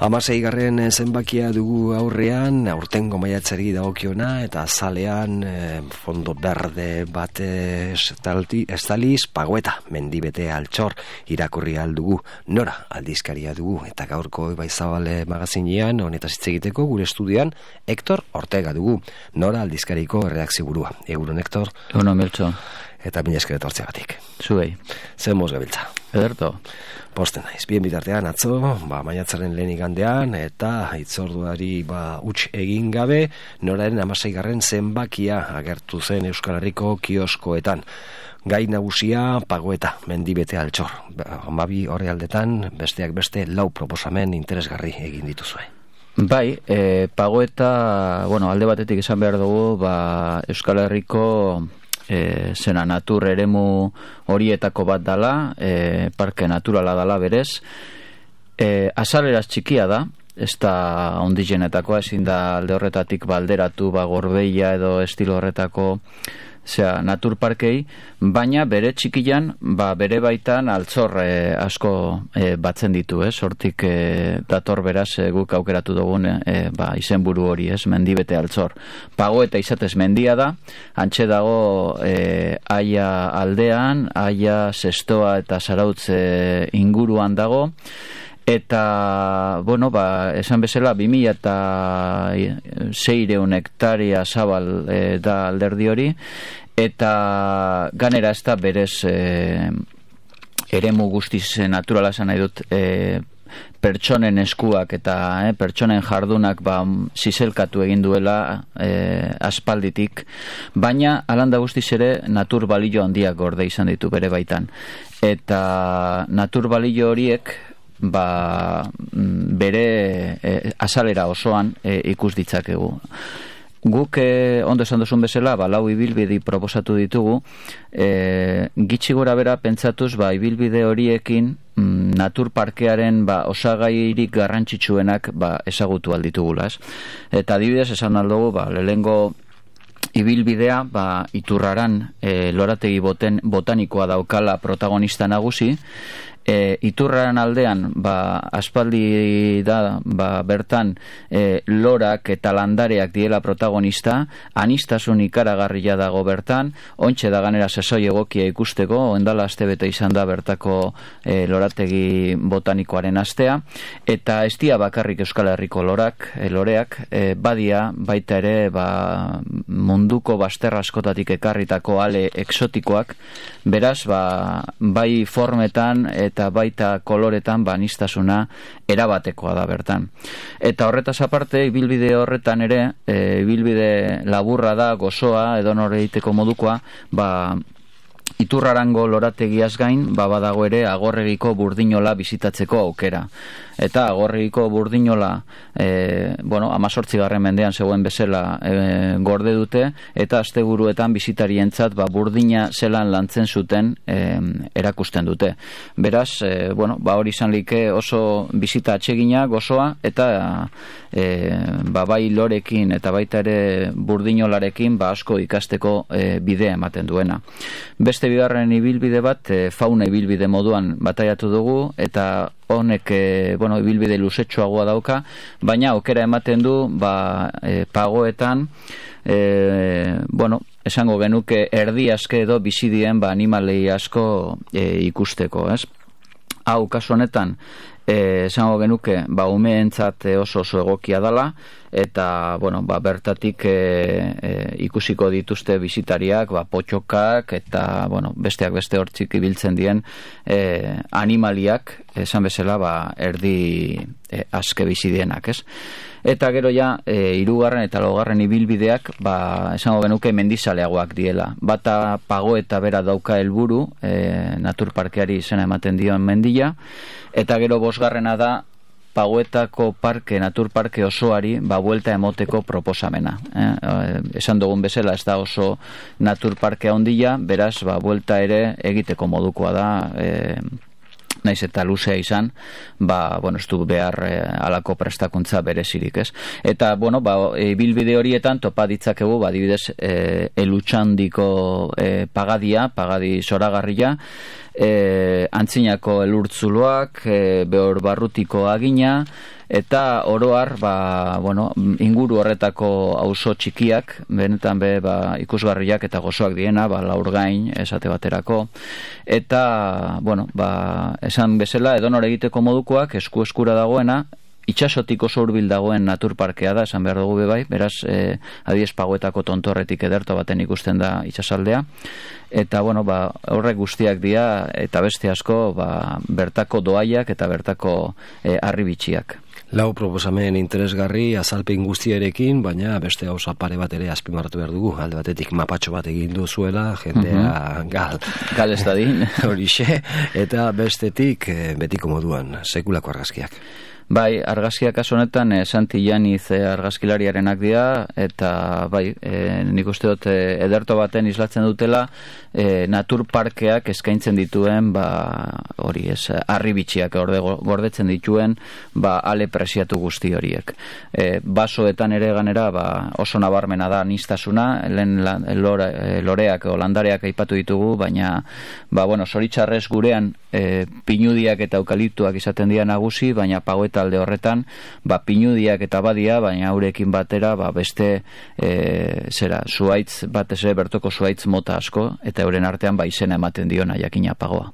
Hamaseigarren zenbakia dugu aurrean, aurtengo maiatzari dagokiona, eta azalean fondo berde bat estaliz, Pagoeta, mendibete altxor irakurri aldugu, Nora aldizkaria dugu, eta gaurko Ibaizabale magazinean, honetaz hitz egiteko gure estudian, Hector Ortega dugu, Nora aldizkariko erredakzio burua. Egunon, Hector. Egunon, Miltxo. Eta mila esker etortzeagatik. Zuei. Zer moz gabiltza? Ederto. Posten naiz, bien bitartean atzo, maiatzaren lehen igandean, eta hitzorduari huts egin gabe, Noraren 16. zenbakia agertu zen Euskal Herriko kioskoetan. Gai nagusia Pagoeta, mendibete altxor. 12 orrialdetan, besteak beste 4 proposamen interesgarri egin dituzue. Bai, Pagoeta, alde batetik esan behar dugu, Euskal Herriko zena natur eremu horietako bat dala, parke naturala dala berez, azaleraz txikia da, ez da ondigenetakoa, ezin da alde horretatik balderatu, Gorbeia edo estilo horretako natur parkei, baina bere txikian, bere baitan altzor asko batzen ditu, hortik dator beraz guk aukeratu dugun izenburu hori, mendibete altzor. Pagoeta izatez mendia da, antxe dago Aia aldean, Aia, Zestoa eta Zarautz inguruan dago, eta, esan bezala, 2600 hektaria zabal da alderdi hori, eta ganera ez da berez eremu guztiz naturala esan nahi dut, pertsonen eskuak eta pertsonen jardunak zizelkatu egin duela aspalditik, baina alanda guztiz ere natur balio handiak gorde izan ditu bere baitan. Eta natur balio horiek bere azalera osoan ikus ditzakegu. Guk ondo esan duzun bezala, 4 ibilbide proposatu ditugu, gitxi gora bera pentsatuz, ibilbide horiekin natur parkearen osagairik garrantzitsuenak ezagutu alditugula. Eta adibidez esan aldugu, lehengo ibilbidea Iturraran lorategi botanikoa daukala protagonista nagusi, Iturraran aldean aspaldi da bertan lorak eta landareak diela protagonista, anistasun ikaragarria dago bertan, ontxe da ganera sesoi egokia ikusteko, ondala astebete izan da bertako lorategi botanikoaren astea, eta ez dia bakarrik Euskal Herriko loreak, badia baita ere munduko bazter askotatik ekarritako ale eksotikoak, beraz bai formetan eta baita koloretan anistasuna erabatekoa da bertan. Eta horretaz aparte, ibilbide horretan ere, ibilbide laburra da, gozoa, edonore egiteko modukoa, Iturrarango lorategiaz gain, badago ere Agorregiko Burdinola bizitatzeko aukera. Eta Agorregiko Burdinola, 18. mendean zegoen bezala gorde dute, eta asteburuetan bisitarientzat Burdina zelan lantzen zuten erakusten dute. Beraz, hori izan like oso bizita atsegina, gozoa, eta bai lorekin eta baita ere Burdinolarekin asko ikasteko bidea ematen duena. Beste bigarren ibilbide bat, fauna ibilbide moduan bataiatu dugu, eta honek ibilbide luzetxoagoa dauka, baina aukera ematen du Pagoetan esango genuke erdi aske edo bizidien animalei asko ikusteko, ez? Hau, kasu honetan, esango genuke umeentzat oso egokia dala, eta bertatik ikusiko dituzte bisitariak, potxokak eta besteak beste hortzik ibiltzen dien animaliak, esan bezala erdi aske bizidienak, ez? Eta gero ja, 3. eta 4. ibilbideak, esango genuke mendizaleagoak diela. Bata Pagoeta bera dauka helburu, naturparkeari izena ematen dion mendia, eta gero 5. da Pagoetako naturparke osoari buelta emoteko proposamena. Esan dugun bezala ez da oso naturparkea handia, beraz buelta ere egiteko modukoa da naiz eta luzea izan, ez du behar alako prestakuntza berezirik, ez? Eta, ibilbide horietan topa ditzakegu, adibidez, elutxandiko pagadi zoragarria, antzinako elurtzuloak, behor barrutiko agina, eta oroar, inguru horretako auzo txikiak, benetan ikusgarriak eta gozoak diena, Laurgain, esate baterako, eta, esan bezala, edonor egiteko modukoak, eskura dagoena, itxasotik oso hurbil dagoen naturparkea da, esan behar dugu bai, beraz, adibidez Paguetako tontorretik ederto baten ikusten da itxasaldea, eta, horrek guztiak dira, eta beste asko, bertako doaiak eta bertako harribitxiak. Lau proposamen interesgarri azalpen guztiarekin, baina beste gauza pare bat ere azpimarratu behar dugu. Alde batetik mapatxo bat egin duzuela, jendea gal ez dadin. Horixe, eta bestetik betiko moduan, sekulako argazkiak. Bai, argazkiak kasu honetan Santi Janiz argazkilariarenak dira, eta nik uste dut ederto baten islatzen dutela naturparkeak eskaintzen dituen harribitxiak gordetzen dituen ale presiatu guzti horiek. Basoetan ere ganera oso nabarmena da nistasuna, lehen loreak o landareak aipatu ditugu, baina zoritxarrez gurean pinudiak eta eukaliptuak izaten dira nagusi, baina Pagueta alde horretan, pinudiak eta badia, baina haurekin batera, beste zuaitz, batez ere bertoko zuaitz mota asko, eta euren artean izena ematen diona jakina Pagoa.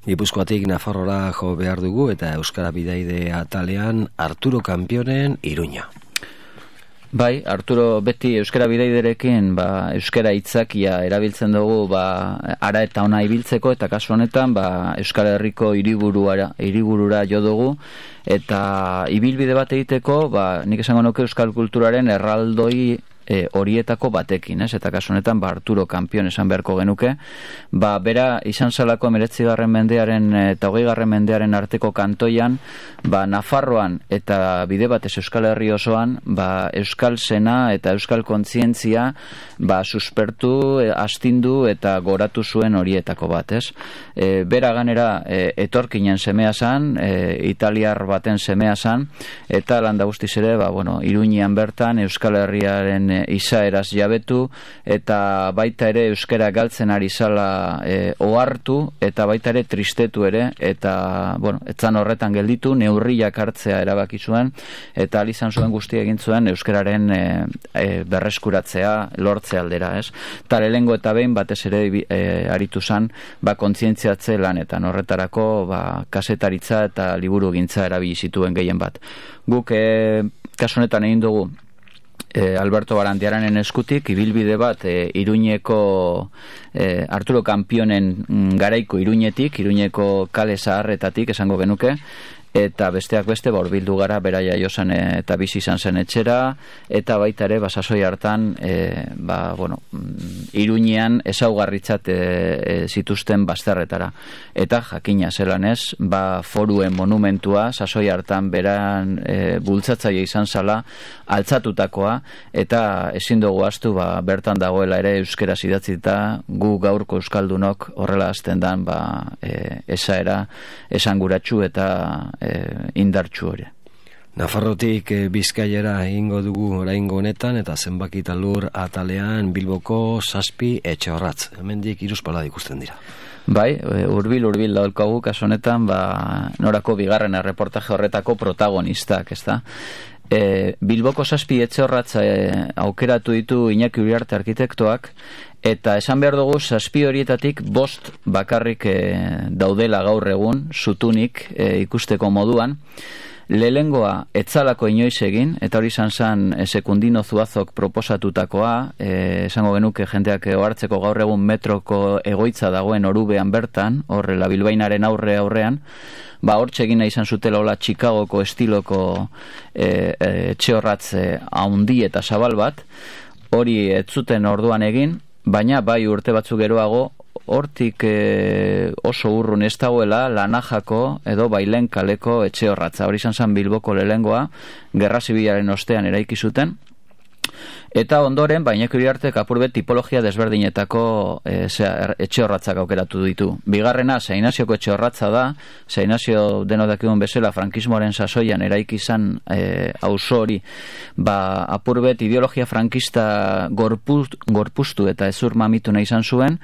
Gipuzkoatik Nafarrora jo behar dugu, eta Euskara Bidaide atalean Arturo Kanpionen Iruña. Bai, Arturo beti euskara bidaiderekin euskara hitzakia erabiltzen dugu ara eta ona ibiltzeko, eta kasu honetan Euskal Herriko hiriburura jo dugu, eta ibilbide bat egiteko nik esango nuke euskal kulturaren erraldoi horietako batekin, eta kasu honetan Arturo Kanpion esan beharko genuke, bera izan zalako 19. mendearen eta 20. mendearen arteko kantoian, Nafarroan eta bide batez Euskal Herri osoan, euskal sena eta euskal kontzientzia suspertu, astindu eta goratu zuen horietako bat, ez? Bera ganera etorkinen semea zan, italiar baten semea zan, eta landa guztiz ere, Iruñean bertan Euskal Herriaren izaeraz jabetu, eta baita ere euskara galtzen ari zala ohartu, eta baita ere tristetu ere, eta etzan horretan gelditu, neurriak hartzea erabaki zuen, eta alizan zuen guztia egin zuen euskararen berreskuratzea lortze aldera, ez? Eta lehengo eta behin batez ere aritu zan kontzientziatze lanetan, horretarako kasetaritza eta liburu gintza erabili zituen gehien bat. Guk kasu honetan egin dugu Alberto Barandiaranen eskutik ibilbide bat Iruñeko Arturo Kanpionen garaiko Iruñeko kale zaharretatik esango genuke, eta besteak beste hurbildu gara bera jaiosan eta bizi izan zen etxera, eta baita ere sasoi hartan Iruñean ezaugarritzat zituzten bazterretara, eta jakina zelan ez, foruen monumentua sasoi hartan beran bultzatzaile izan zala altzatutakoa, eta ezin dugu ahaztu bertan dagoela ere euskaraz idatzita, gu gaurko euskaldunok horrela hasten dan esaera esanguratsu eta indartsu hori. Nafarrotik Bizkaiara egingo dugu oraingo honetan, eta zenbaki eta lur atalean Bilboko 7 etxeorratz. Hemendik 3 palada ikusten dira. Bai, hurbil daukagu kasu honetan, norako bigarren erreportaje horretako protagonistak, ezta? Bilboko 7 etxeorratz aukeratu ditu Iñaki Uriarte arkitektoak, eta esan behar dugu 7 horietatik 5 bakarrik daudela gaur egun, zutunik ikusteko moduan. Lehengoa etzalako inoiz egin, eta hori izan zen Sekundino Zuazok proposatutakoa, esango genuke jendeak ohartzeko gaur egun metroko egoitza dagoen Orubean bertan, horrela Bilbainaren aurrean, hortxe egina izan zutela hola Chicagoko estiloko etxeorratz haundi eta zabal bat, hori ez zuten orduan egin, baina urte batzuk geroago, hortik oso urrun ez dagoela Lanajako edo Bailen kaleko etxeorratza. Hori izan zen Bilboko lehengoa, Gerra Zibilaren ostean eraiki zuten, Eta ondoren, Iñaki Uriartek apurbet tipologia desberdinetako etxe horratzak aukeratu ditu. Bigarrena, San Inazioko etxe horratza da. San Inazio denok dakigun bezala frankismoaren sasoian eraiki izan auzo hori, apurbet ideologia frankista gorpuztu eta ezur mamitu nahi izan zuen,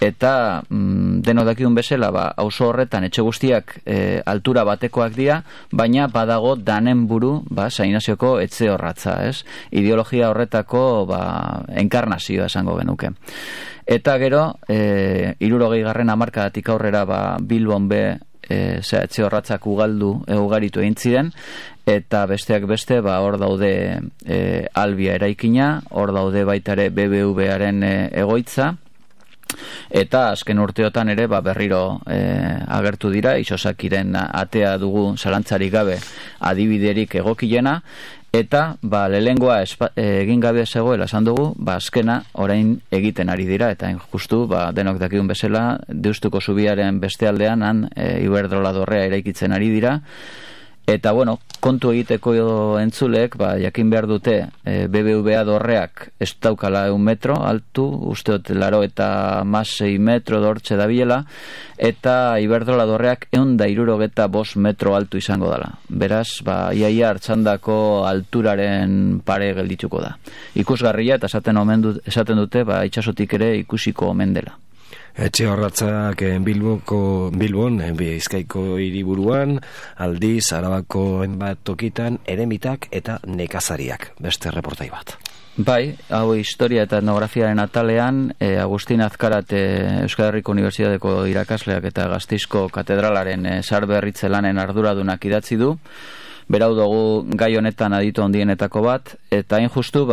eta denok dakigun bezala auzo horretan etxe guztiak altura batekoak dira, baina badago danen buru San Inazioko etxe horratza, ez? Ideologia horretako enkarnazioa esango genuke. Eta gero, 60. hamarkadatik aurrera Bilbon etxe horratzak ugaritu egin ziren, eta besteak beste hor daude Albia eraikina, hor daude baita ere BBVaren egoitza, eta azken urteotan ere berriro agertu dira, Itxosakiren atea dugu zalantzarik gabe adibiderik egokiena, eta lehengoa egin gabe zegoela esan dugu, azkena orain egiten ari dira, eta justu denok dakigun bezala Deustuko zubiaren beste aldean Iberdrola dorrea eraikitzen ari dira. Eta kontu egiteko entzulek jakin behar dute BBVA dorreak ez daukala 1 metro altu, usteot 86 metro dortxe dabilela, eta Iberdrola dorreak 165 metro altu izango dela. Beraz, iaia hartzandako alturaren pare geldituko da. Ikusgarria, eta esaten dute itxasotik ere ikusiko omen dela. Etxe horratzak Bilbon, Bizkaiko hiriburuan, aldiz, Arabako enbat tokitan, eremitak eta nekazariak. Beste reportai bat. Hau historia eta etnografiaren atalean, Agustin Azkarat Euskal Herriko Unibertsitateko irakasleak eta Gasteizko katedralaren zaharberritze lanen arduradunak idatzi du. Berau dugu gai honetan aditu handienetako bat, eta hain justu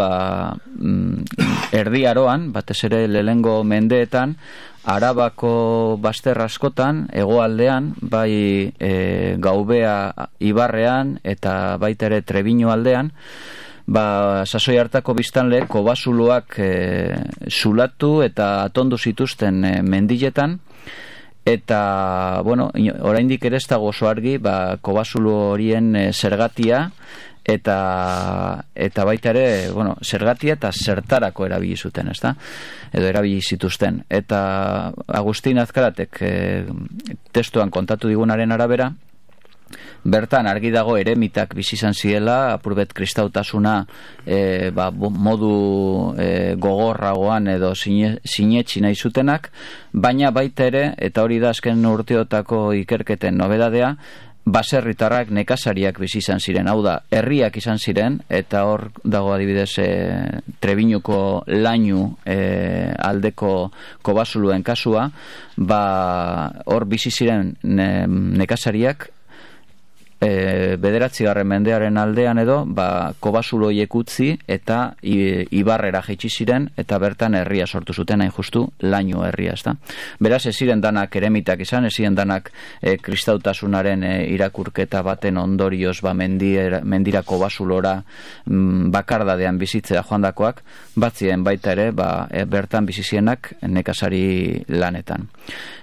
Erdi Aroan, batez ere lehengo mendeetan, Arabako bazter askotan, hegoaldean, Gaubea ibarrean eta baita ere Trebino aldean, sasoi hartako biztanle kobasuluak zulatu eta atondu zituzten mendiletan, eta, oraindik ere ez dago oso argi, kobasulu horien zergatia, eta baita ere, zergatia eta zertarako erabili zuten, ezta? Edo erabili zituzten. Eta Agustin Azkaratek testuan kontatu digunaren arabera, bertan argi dago eremitak bizi izan zirela, apurbet kristautasuna modu gogorragoan edo sinetsi nahi zutenak, baina baita ere, eta hori da azken urteotako ikerketen nobedadea, baserritarrak nekazariak bizi izan ziren, hau da, herriak izan ziren, eta hor dago adibidez Trebiñuko lainu aldeko kobasuluen kasua, hor bizi ziren nekazariak, 9. mendearen aldean edo, kobasuloiek utzi eta ibarrera jaitsi ziren, eta bertan herria sortu zuten, hain justu laino herria, ezta. Beraz, ez ziren danak eremitak izan, ez ziren danak kristautasunaren irakurketa baten ondorioz mendira kobasulora bakardadean bizitzea joandakoak, batzien baita ere, bertan bizizienak nekazari lanetan.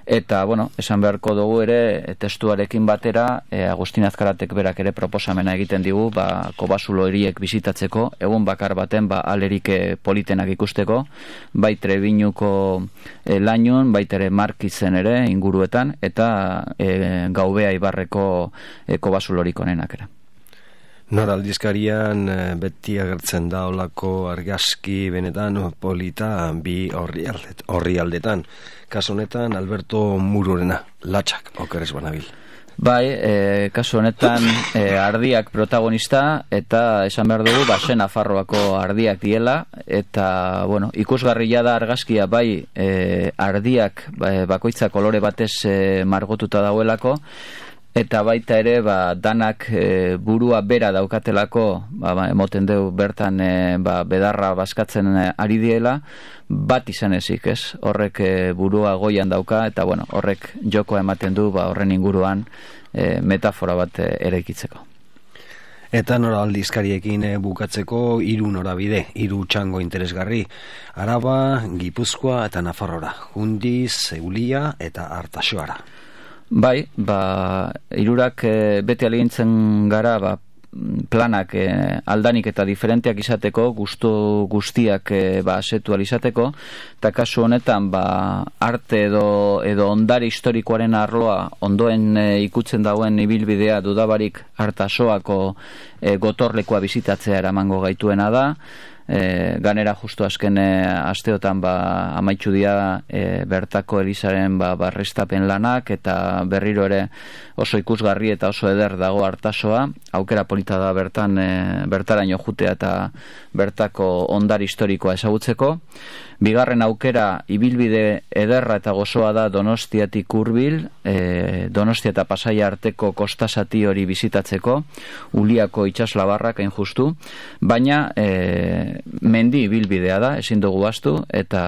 Eta, esan beharko dugu ere, testuarekin batera, Agustin Azkaratek berak ere proposamena egiten digu, kobasulo horiek bizitatzeko, egun bakar baten, alerik politenak ikusteko, bai Trebiñuko lainun, baita ere Markizen ere, inguruetan, eta Gaubea ibarreko kobasulorik onenak ere. Nora aldizkarian beti agertzen da olako argazki benetan polita bi horri aldetan. Kasu honetan Alberto Murorena, latxak, okeres banabil. Kasu honetan ardiak protagonista, eta esan behar dugu, Sen Nafarroako ardiak diela, eta, ikusgarria da argazkia, ardiak bakoitza kolore batez margotuta dauelako, eta baita ere danak burua bera daukatelako, emoten deu bertan bedarra baskatzen ari diela, bat izan ezik, ez? Horrek burua goian dauka, eta horrek jokoa ematen du horren inguruan metafora bat eraikitzeko. Eta nora aldizkariekin bukatzeko 3 norabide, 3 txango interesgarri, Araba, Gipuzkoa eta Nafarrora, Jundiz, Eulia eta Artaxoara. Hirurak beti aligintzen gara, planak aldanik eta diferenteak izateko, gustu guztiak asetu izateko, eta kasu honetan arte edo ondare historikoaren arloa ondoen ikutzen dauen ibilbidea dudabarik Artasoako gotorlekoa bizitatzea eramango gaituena da. Ganera justu azken asteotan amaitzu dira bertako elizaren barrestapen lanak, eta berriro ere oso ikusgarri eta oso eder dago Artasoa. Aukera polita da bertaraino jutea eta bertako ondar historikoa ezagutzeko. Bigarren aukera, ibilbide ederra eta gozoa da Donostiatik hurbil, Donostia eta Pasaia arteko kostasati hori bizitatzeko, Uliako itsaslabarrak hain justu, baina mendi ibilbidea da, ezin dugu ahaztu, eta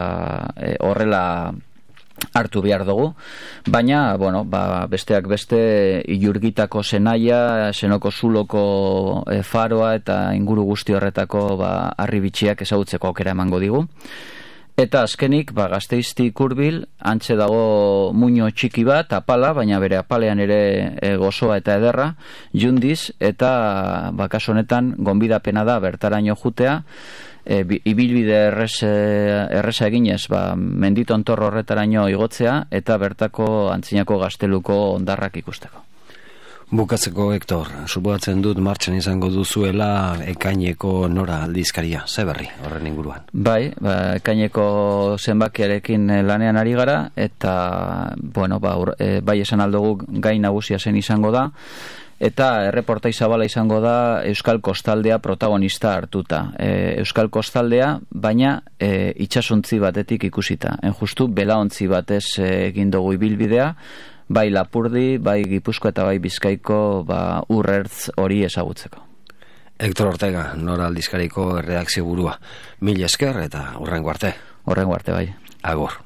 horrela hartu behar dugu, baina besteak beste Ilurgitako Senaia, Senoko Zuloko faroa eta inguru guzti horretako harribitxiak ezagutzeko aukera emango digu. Eta azkenik, Gasteiztik hurbil, antxe dago muino txiki bat, apala, baina bere apalean ere gozoa eta ederra, Jundiz, eta kasu honetan gonbidapena da bertaraino jutea, ibilbide erresa eginez, menditontor horretaraino igotzea, eta bertako antzinako gazteluko ondarrak ikusteko. Bukatzeko, Hektor, suposatzen dut martxan izango duzuela ekaineko Nora aldizkaria, ze berri horren inguruan? Bai, ekaineko zenbakiarekin lanean ari gara, eta bai esan aldugu gai nagusia zen izango da, eta erreportai zabala izango da Euskal Kostaldea protagonista hartuta. Euskal Kostaldea, baina itsasontzi batetik ikusita. Justu belaontzi batez egin dugu ibilbidea, bai Lapurdi, bai Gipuzkoa eta bai Bizkaiko urrertz hori ezagutzeko. Hektor Ortega, Nora aldizkariko redakzio burua. Mil esker eta hurrengo arte. Hurrengo arte, bai. Agur.